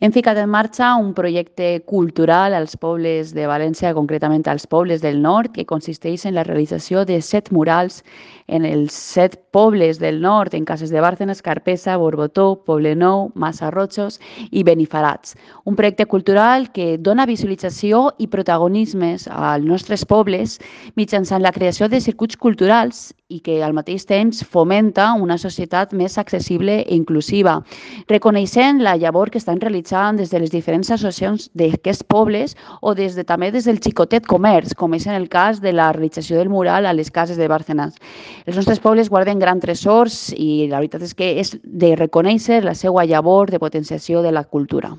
Hem ficat en marxa un projecte cultural als pobles de València, concretament als pobles del nord, que consisteix en la realització de 7 murals en els 7 pobles del nord, en Cases de Bàrcenas, Carpesa, Borbotó, Poblenou, Massarrotxos i Benifarats. Un projecte cultural que dona visualització i protagonismes als nostres pobles mitjançant la creació de circuits culturals i que al mateix temps fomenta una societat més accessible i inclusiva, reconeixent la llavor que estan realitzant des de les diferents associacions d'aquests pobles o també des del xicotet comerç, com és en el cas de la realització del mural a les Cases de Bàrcenas. Els nostres pobles guarden grans tresors i la veritat és que és de reconèixer la seva llavor de potenciació de la cultura.